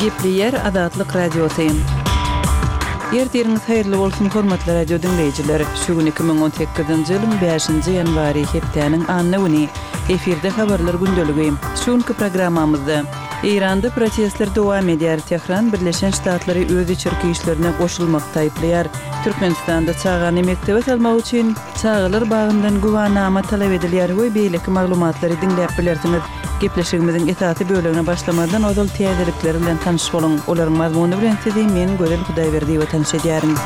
Gepleýär Azatlyk Radiosy. Ertiriňiz haýyrly bolsun, hormatly radio diňleýjiler! Şu gün 2018-nji ýylyň bäşinji ýanwary, hepdäniň anna güni. Efirde habarlar gündeligi. Şu günki programmamyzda, Eýranda protestler dowam edýär, Tehran Birleşen Ştatlary öz içerki işlerine goşulmakda aýyplaýar, Türkmenistanda çagany mekdebe salmak üçin çagalar bagyndan güwanama talap edilýär we beýleki maglumatlary diňläp bilersiňiz. Gepleşigimiziň esasy bölegine başlamazdan ozal täzelikler bilen tanyş boluň. Olaryň mazmuny bilen sizi men Gözel Hudaýberdiýewa tanyş edýärin.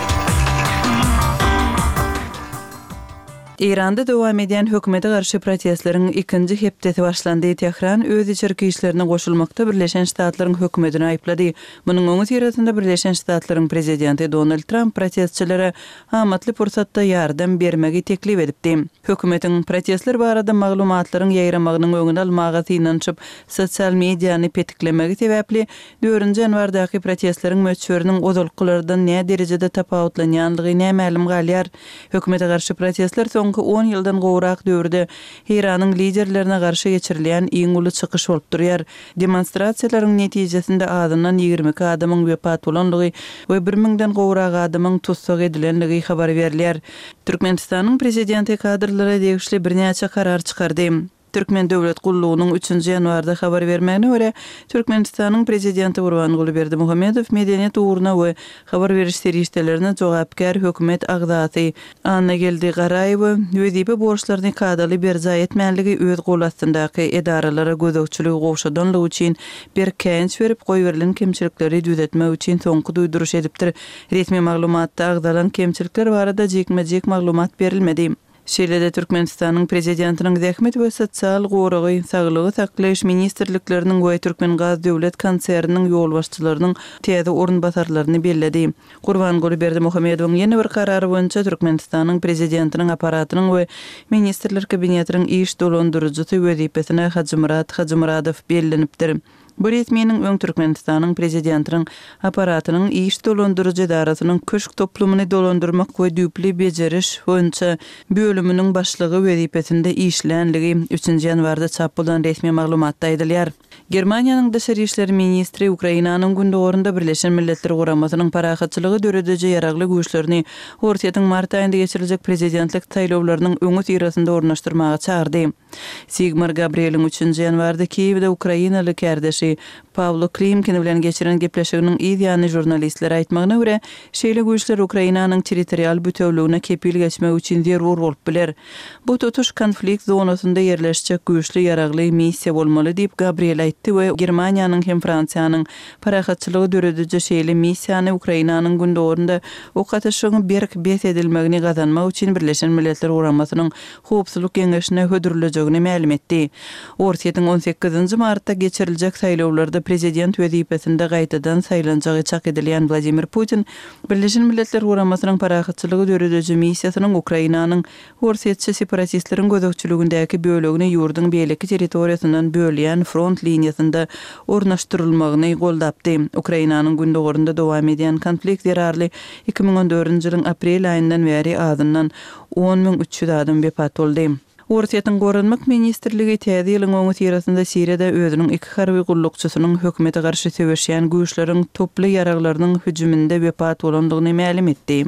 Eýranda dowam edýän hökümete garşy protestleriň ikinji hepdesi başlandy. Tehran öz içerki işlerine goşulmakda Birleşen Ştatlaryň hökümetini aýyplady. Munuň öňüsyrasynda Birleşen Ştatlaryň prezidenti Donald Tramp protestçilere amatly pursatda ýardam bermegi teklip edipdi. Hökümetiň protestler barada maglumatlaryň ýaýramagynyň öňüni almaga synanyşyp, sosial mediany petiklemegi sebäpli, dördünji ýanwardaky protestleriň möçberiniň ozalkylardan näderejede tapawutlanýandygy nämälim galýar. Hökümete garşy protestler soňky on ýyldan gowrak döwürde Eýranyň liderlerine garşy geçirilýän iň uly çykyş bolup durýar. Demonstrasiýalaryň netijesinde azyndan 22 adamyň wepat bolandygy we bir müňden gowrak adamyň tussag edilendigi habar berilýär. Türkmenistanyň prezidenti kadrlara degişli birnäçe karar çykardy. Türkmen döwlet gullugynyň üçünji ýanwarda habar bermegine görä, Türkmenistanyň prezidenti Gurbanguly Berdimuhamedow medeniýet ugruna we habar beriş serişdelerine jogapkär hökümet agzasy Annageldi Garaýewe wezipe borçlaryny kadaly berjaý etmänligi öz gol astyndaky edaralara gözegçiligi gowşadanlygy üçin berk käýinç berip, goýberilen kemçilikleri düzetmek üçin soňky duýduryş edipdir. Resmi maglumatda agzalan kemçilikler barada jikme-jik maglumat berilmedi. Şeýle-de Türkmenistanyň Prezidentiniň Zähmet we sosial goragy, Saglygy saklaýyş ministrlikleriniň we Türkmengaz döwlet konserniniň ýolbaşçylarynyň täze orunbasarlaryny belledi. Gurbanguly Berdimuhamedowyň ýene bir karary boýunça Türkmenistanyň Prezidentiniň Apparatynyň we Ministrler Kabinetiniň iş dolandyryjysy wezipesine Hajymyrat Hajymyradow bellenipdir. Bu resminiň öň Türkmenistanyň Prezidentiniň Apparatynyň iş dolandyryjy edarasynyň köşk toplumyny dolandyrmak we düýpli bejeriş boýunça bölüminiň başlygy wezipesinde işlänligi üçünji ýanwarda çap bolan resmi maglumatda aýdylýar. Germaniýanyň daşary işler ministri Ukrainanyň gündogarynda Birleşen Milletler Guramasynyň parahatçylygy dörediji ýaragly güýçlerini Orsýetiň mart aýynda geçiriljek prezidentlik saýlawlarynyň öňüsyrasynda ornaşdyrmaga çagyrdy. Sigmar Gabrieliň üçünji ýanwarda Kiýewde ukrainaly kärdeşi Pawlo Klimkin bilen geçiren gepleşiginiň yz ýany žurnalistlere aýtmagyna görä, şeýle güýçler Ukrainanyň territorial bütewligine kepil geçmek üçin zerur bolup biler. Bu tutuş konflikt zonasynda ýerleşjek güýçli ýaragly missiýa bolmaly diýip, Gabriel aýtdy we Germaniýanyň hem Fransiýanyň parahatçylygy dörediji şeýle missiýany Ukrainanyň gündogarynda ok atyşygyň berk bes edilmegini gazanmak üçin Birleşen Milletler Guramasynyň Howpsuzlyk Geňeşine hödürlejegini mälim etdi. Orsýetiň on sekizinji martda geçiriljek saýlawlarda prezident wezipesinde gaýtadan saýlanjagy çak edilýän Wladimir Putin Birleşen Milletler Guramasynyň parahatçylygy dörediji missiýasynyň Ukrainanyň orsýetçi separatistleriň gözegçiligindäki bölegini ýurduň beýleki territoriýasyndan bölýän front liniýasynda ornaşdyrylmagyny goldapdy. Ukrainanyň gündogarynda dowam edýän konflikt zerarly 2014-nji ýylyň aprel aýyndan bäri azyndan 10 300 adam wepat boldy. Orsýetiň Goranmak ministrligi Täze ýylyň öňüsyrasynda Siriýada özüniň iki harby gullukçysynyň hökümete garşy söweşýän güýçleriň toply ýaraglarynyň hüjüminde wepat bolandygyny mälim etdi.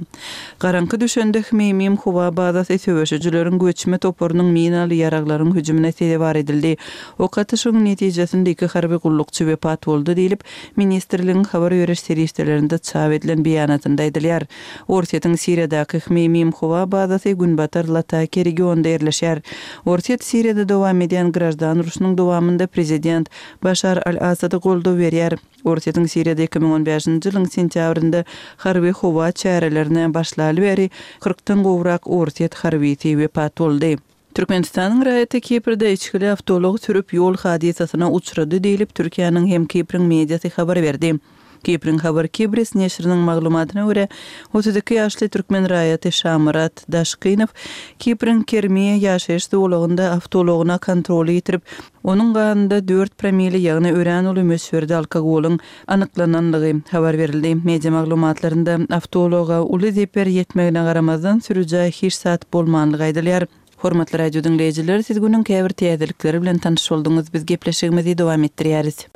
Garaňky düşende Hmeýmim howa bazasy söweşijileriň göçme toparynyň minaly ýaraglaryň hüjümine sezewar edildi. Ok atyşygyň netijesinde iki harby gullukçy wepat boldy diýlip, ministrligiň habar beriş serişdelerinde çap edilen beýanatynda aýdylýar. Orsýetiň Siriýadaky Hmeýmim howa bazasy günbatar Latakiýa regionynda ýerleşýär. Orsýet Siriýada dowam edýän graždan urşunyň dowamynda prezident Başar al-Assada goldaw berýär. Orsýetiň Siriýada 2015-nji ýylyň sentýabrynda harby howa çärelerine başlaly bäri kyrkdan gowrak orsýet harbysy wepat boldy. Türkmenistanyň raýaty Kiprde içgili awtoulag sürüp ýol hadysasyna uçrady diýlip, Türkiýäniň hem Kipriň mediasy habar berdi. Kipriň Haber Kibris neşiriniň maglumatyna görä, 32 ýaşly türkmen raýaty Şamyrat Daşkynow Kipriň Kermiýe ýaşaýyş zolagynda awtoulagyna kontroly ýitirip, onuň ganynda dört promile, ýagny örän uly möçberde alkogolyň anyklananlygy habar berildi. Media maglumatlarynda awtoulaga uly zeper ýetmegine garamazdan, sürüjä hiç zat bolmanlygy aýdylýar. Hormatly radio diňleýjiler, siz günüň käbir täzelikleri bilen tanyş bolduňyz. Biz gepleşigimizi dowam etdirýäris.